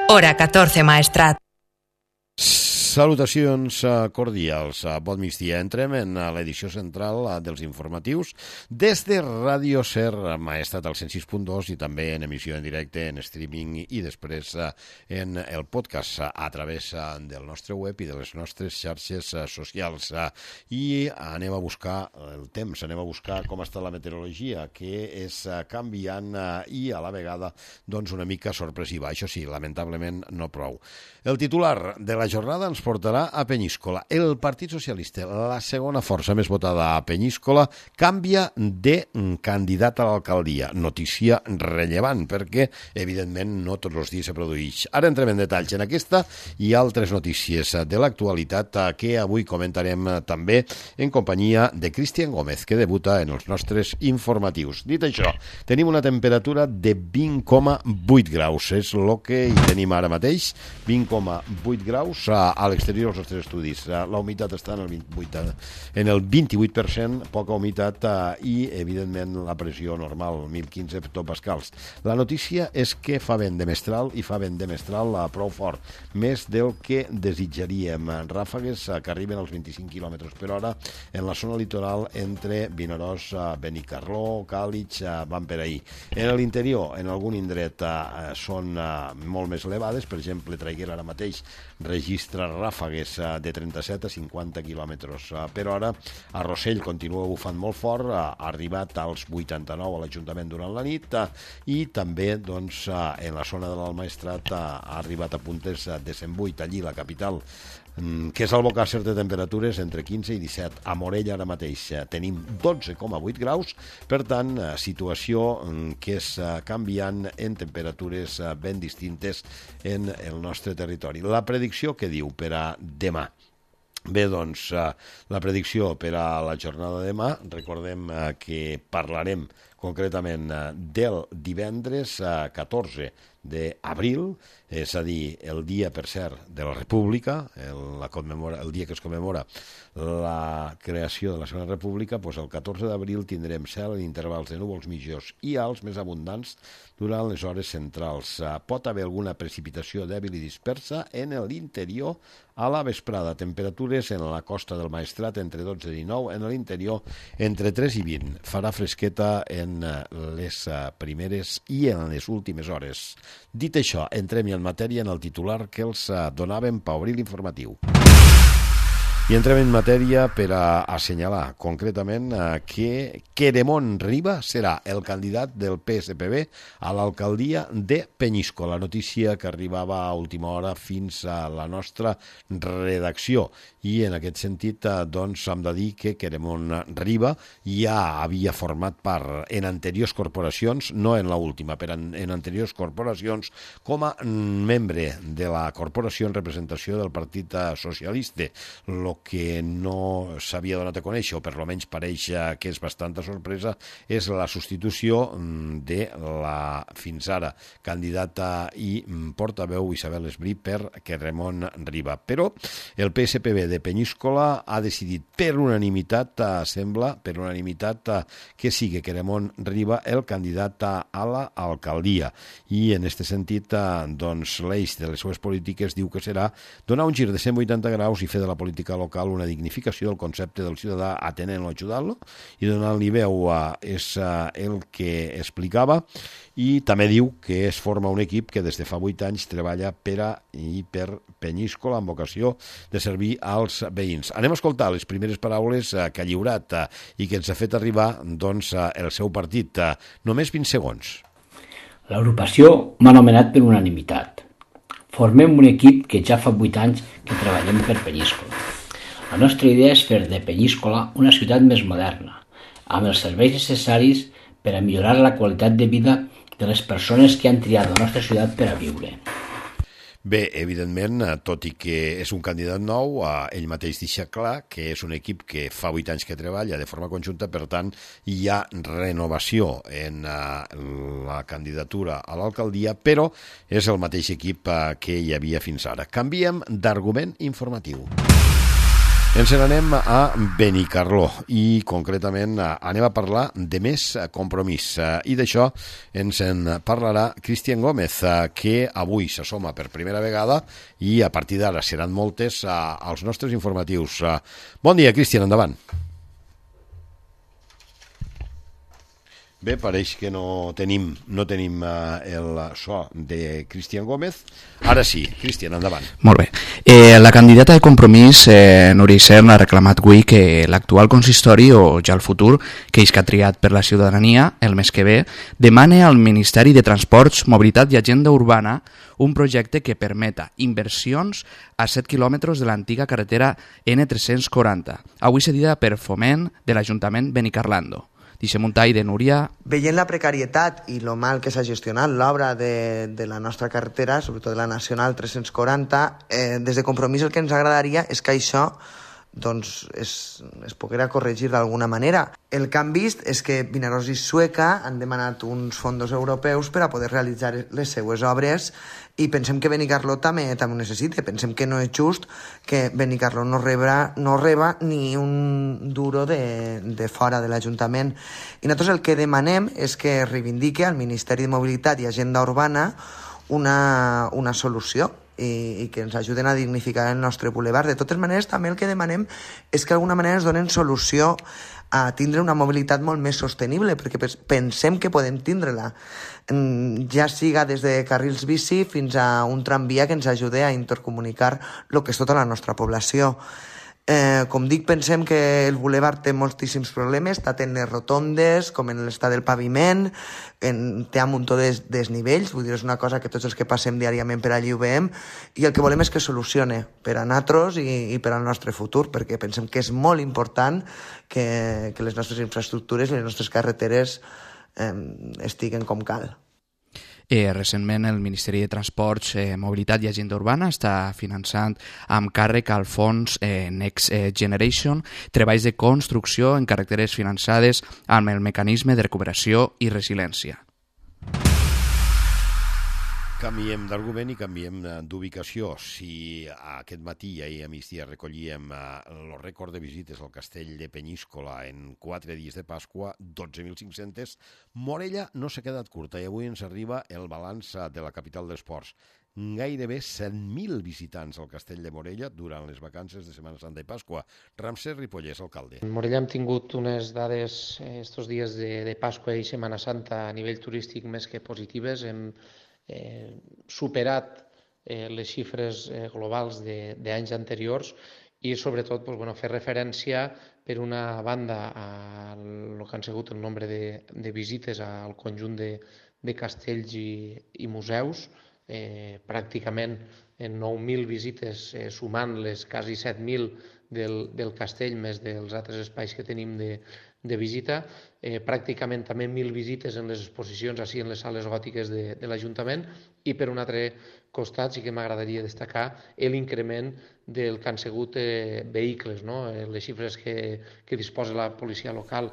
Hora 14 Maestrat. Salutacions cordials, bon migdia. Entrem en l'edició central dels informatius des de Ràdio Ser Maestrat al 106.2 i també en emissió en directe, en streaming i després en el podcast a través del nostre web i de les nostres xarxes socials. I anem a buscar el temps, anem a buscar com està la meteorologia, que és canviant i a la vegada doncs una mica sorpresiva. Això sí, lamentablement no prou. El titular de la jornada ens portarà a Penyíscola. El Partit Socialista, la segona força més votada a Penyíscola, canvia de candidat a l'alcaldia. Notícia rellevant, perquè, evidentment, no tots els dies se produeix. Ara entrem en detalls en aquesta i altres notícies de l'actualitat que avui comentarem també en companyia de Cristian Gómez, que debuta en els nostres informatius. Dit això, tenim una temperatura de 20,8 graus. És el que hi tenim ara mateix, 20,8 graus a l'exterior dels nostres estudis. La humitat està en el 28%, poca humitat i, evidentment, la pressió normal, 1.015 hectopascals. La notícia és que fa vent de mestral i fa vent de mestral prou fort, més del que desitjaríem. Ràfegues que arriben als 25 km per hora en la zona litoral entre Vinaròs, Benicarló, Càlig, van per ahir. En l'interior, en algun indret, són molt més elevades. Per exemple, Traiguera ara mateix registra ràfegues de 37 a 50 km per hora. A Rossell continua bufant molt fort, ha arribat als 89 a l'Ajuntament durant la nit i també doncs, en la zona de l'Almaestrat ha arribat a puntes de 108, allí la capital, que és al Bocàsser de temperatures entre 15 i 17. A Morella ara mateix tenim 12,8 graus, per tant, situació que és canviant en temperatures ben distintes en el nostre territori. La predicció que diu per a demà? Bé, doncs, la predicció per a la jornada de demà, recordem que parlarem concretament del divendres 14 d'abril, és a dir, el dia, per cert, de la República, el dia que es commemora la creació de la Segona República, doncs el 14 d'abril tindrem cel en intervals de núvols mitjors i alts més abundants durant les hores centrals. Pot haver alguna precipitació dèbil i dispersa en l'interior a la vesprada. Temperatures en la costa del Maestrat entre 12 i 19, en l'interior entre 3 i 20. Farà fresqueta en les primeres i en les últimes hores. Dit això, entrem en matèria en el titular que els donàvem per obrir l'informatiu. I entrem en matèria per a assenyalar concretament que Queremont Riba serà el candidat del PSPB a l'alcaldia de Penyíscola. Notícia que arribava a última hora fins a la nostra redacció. I en aquest sentit, doncs, hem de dir que Queremont Riba ja havia format part en anteriors corporacions, no en l'última, però en anteriors corporacions, com a membre de la corporació en representació del Partit Socialista. El que no s'havia donat a conèixer, o per almenys pareix que és bastanta sorpresa, és la substitució de la fins ara candidata i portaveu Isabel Esbrí per Queremont Riba. Però el PSPB de Penyíscola ha decidit per unanimitat, sembla, per unanimitat, que sigui Queremont Riba el candidat a l'alcaldia. I en aquest sentit, doncs, l'eix de les seves polítiques diu que serà donar un gir de 180 graus i fer de la política local una dignificació del concepte del ciutadà atenent-lo, ajudant-lo i donant-li veu és el que explicava. I també diu que es forma un equip que des de fa 8 anys treballa per Penyíscola amb vocació de servir als veïns. Anem a escoltar les primeres paraules que ha lliurat i que ens ha fet arribar doncs, el seu partit. Només 20 segons. L'agrupació m'ha nomenat per unanimitat. Formem un equip que ja fa 8 anys que treballem per Penyíscola. La nostra idea és fer de Penyíscola una ciutat més moderna, amb els serveis necessaris per a millorar la qualitat de vida de les persones que han triat la nostra ciutat per a viure. Bé, evidentment, tot i que és un candidat nou, ell mateix deixa clar que és un equip que fa 8 anys que treballa de forma conjunta, per tant, hi ha renovació en la candidatura a l'alcaldia, però és el mateix equip que hi havia fins ara. Canviem d'argument informatiu. Ens n'anem a Benicarló i concretament anem a parlar de més Compromís i d'això ens en parlarà Cristian Gómez, que avui s'assoma per primera vegada i a partir d'ara seran moltes als nostres informatius. Bon dia, Cristian, endavant. Bé, pareix que no tenim el so de Cristian Gómez. Ara sí, Cristian, endavant. Molt bé. La candidata de Compromís, Núria Isern, ha reclamat avui que l'actual consistori, o ja el futur, que és que ha triat per la ciutadania el mes que ve, demane al Ministeri de Transports, Mobilitat i Agenda Urbana un projecte que permeta inversions a 7 quilòmetres de l'antiga carretera N340, avui cedida per Foment de l'Ajuntament Benicarlando. Deixem un tall de Núria. Veient la precarietat i lo mal que s'ha gestionat l'obra de la nostra carretera, sobretot de la Nacional 340, des de Compromís el que ens agradaria és que això doncs, es poguera corregir d'alguna manera. El que han vist és que Vinaròs i Sueca han demanat uns fons europeus per a poder realitzar les seues obres i pensem que Benicarló també ho necessita. Pensem que no és just que Benicarló no reba ni un duro de fora de l'Ajuntament. I nosaltres el que demanem és que reivindique al Ministeri de Mobilitat i Agenda Urbana una solució i que ens ajuden a dignificar el nostre boulevard. De totes maneres, també el que demanem és que d'alguna manera ens donen solució a tindre una mobilitat molt més sostenible, perquè pensem que podem tindre-la, ja siga des de carrils bici fins a un tramvia que ens ajude a intercomunicar el que és tota la nostra població. Com dic, pensem que el boulevard té moltíssims problemes, tant en les rotondes com en l'estat del paviment, té un muntó de desnivells, vull dir, és una cosa que tots els que passem diàriament per allí ho veiem, i el que volem és que solucione per a nosaltres i per al nostre futur, perquè pensem que és molt important que les nostres infraestructures i les nostres carreteres estiguen com cal. Recentment el Ministeri de Transports, Mobilitat i Agenda Urbana està finançant amb càrrec al fons Next Generation treballs de construcció en carreteres finançades amb el mecanisme de recuperació i resiliència. Canviem d'argument i canviem d'ubicació. Si aquest matí i ahir a migdia recollíem el rècord de visites al castell de Penyíscola en 4 dies de Pasqua, 12.500, Morella no s'ha quedat curta i avui ens arriba el balanç de la capital d'esports. Gairebé 100.000 visitants al castell de Morella durant les vacances de Setmana Santa i Pasqua. Ramsès Ripollès, alcalde. En Morella hem tingut unes dades estos dies de Pasqua i Setmana Santa a nivell turístic més que positives. Hem superat les xifres globals d'anys anteriors i sobretot fer referència per una banda a el que han sigut el nombre de visites al conjunt de castells i museus, pràcticament en 9.000 visites sumant les quasi 7.000 del castell més dels altres espais que tenim de visita, pràcticament també 1.000 visites en les exposicions així en les sales gòtiques de l'Ajuntament i per un altre costat sí que m'agradaria destacar l'increment del que han sigut vehicles, no? Les xifres que disposa la policia local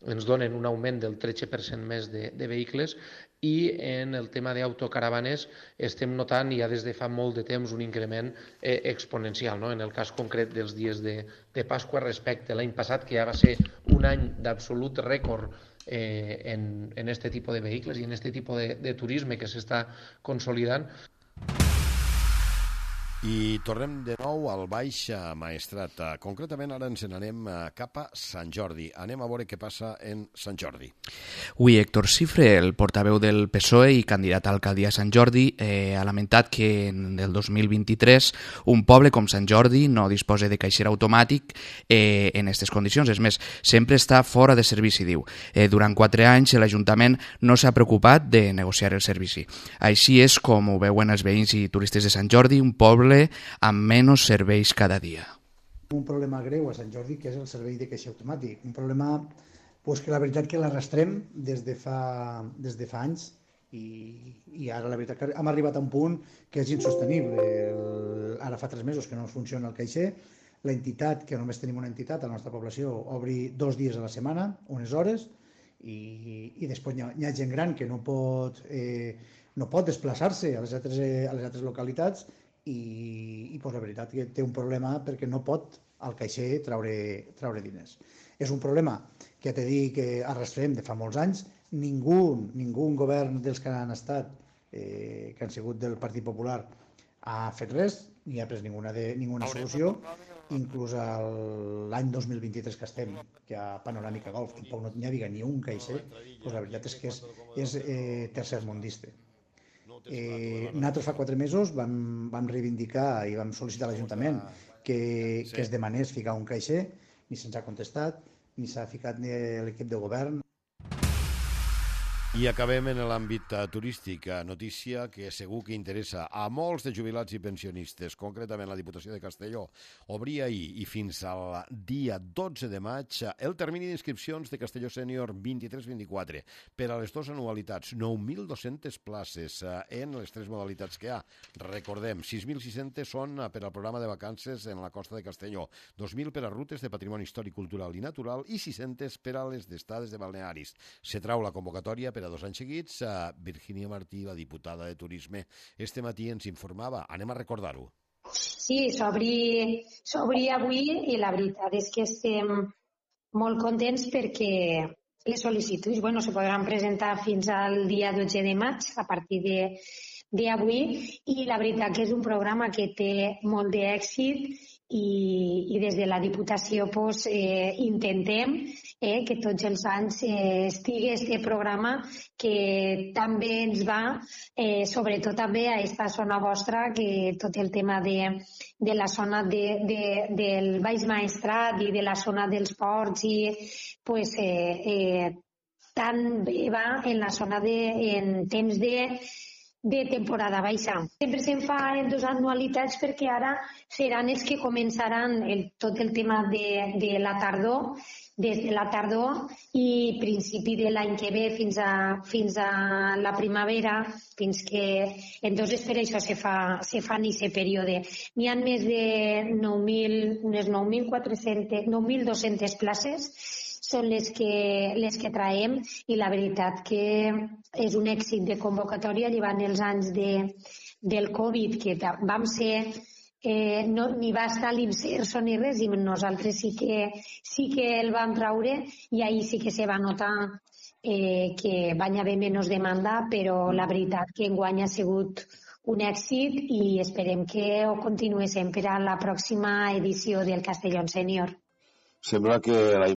ens donen un augment del 13% més de vehicles i en el tema d'autocaravanes estem notant ja des de fa molt de temps un increment exponencial, no? En el cas concret dels dies de Pasqua respecte a l'any passat, que ja va ser un any d'absolut rècord en este tipus de vehicles i en este tipus de turisme que s'està consolidant. I tornem de nou al Baix Maestrat. Concretament ara ens n'anem cap a Sant Jordi. Anem a veure què passa en Sant Jordi. Avui Héctor Cifre, el portaveu del PSOE i candidat a alcaldia a Sant Jordi, ha lamentat que en el 2023 un poble com Sant Jordi no disposa de caixer automàtic en aquestes condicions. És més, sempre està fora de servici, diu. Durant 4 anys l'Ajuntament no s'ha preocupat de negociar el servici. Així és com ho veuen els veïns i turistes de Sant Jordi, un poble amb menys serveis cada dia. Un problema greu a Sant Jordi, que és el servei de caixer automàtic. Un problema que la veritat que l'arrastrem des de fa anys i ara la veritat que hem arribat a un punt que és insostenible. Ara fa 3 mesos que no funciona el caixer. L'entitat, que només tenim una entitat a la nostra població, obri 2 dies a la setmana, unes hores, i després hi ha gent gran que no pot desplaçar-se a les altres localitats i pues, la veritat que té un problema perquè no pot al caixer treure diners. És un problema que t'he dit que arrastrem de fa molts anys. Ningú govern dels que han estat, que han sigut del Partit Popular, ha fet res, ni ha pres ninguna solució. Inclús l'any 2023 que estem, que a Panoràmica Golf tampoc no n'hi havia ni un caixer, doncs la veritat és que és tercermundista. Nosaltres fa 4 mesos vam reivindicar i vam sol·licitar a l'Ajuntament que es demanés ficar un caixer, ni se'ns ha contestat, ni s'ha ficat ni l'equip de govern. I acabem en l'àmbit turístic. Notícia que segur que interessa a molts de jubilats i pensionistes. Concretament, la Diputació de Castelló obria ahir i fins al dia 12 de maig el termini d'inscripcions de Castelló Sènior 23-24 per a les 2 anualitats. 9.200 places en les 3 modalitats que hi ha. Recordem, 6.600 són per al programa de vacances en la costa de Castelló, 2.000 per a rutes de patrimoni històric, cultural i natural i 600 per a les d'estades de balnearis. Se trau la convocatòria per a 2 anys seguits. Virginia Martí, la diputada de Turisme, este matí ens informava. Anem a recordar-ho. Sí, s'obri avui i la veritat és que estem molt contents perquè les sol·licituds se podran presentar fins al dia 12 de maig a partir d'avui i la veritat que és un programa que té molt d'èxit i des de la Diputació intentem que tots els anys estigui aquest programa que també ens va, sobretot també a aquesta zona vostra, que tot el tema de la zona del Baix Maestrat i de la zona dels ports tant bé va en la zona en temps de temporada baixa. Sempre se'n fa en 2 anualitats perquè ara seran els que començaran tot el tema de la tardor, des de la tardor i principi de l'any que ve fins a la primavera, fins que entonces per això se fa en aquest període. N'hi ha més de 9.200 places són les que traiem i la veritat que és un èxit de convocatòria llevant els anys del Covid que vam ser ni va estar l'Inserso ni res i nosaltres sí que el vam traure i ahir sí que se va notar que van haver menys demanda, però la veritat que enguany ha sigut un èxit i esperem que ho continuéssim per a la pròxima edició del Castelló Sènior. Sembla que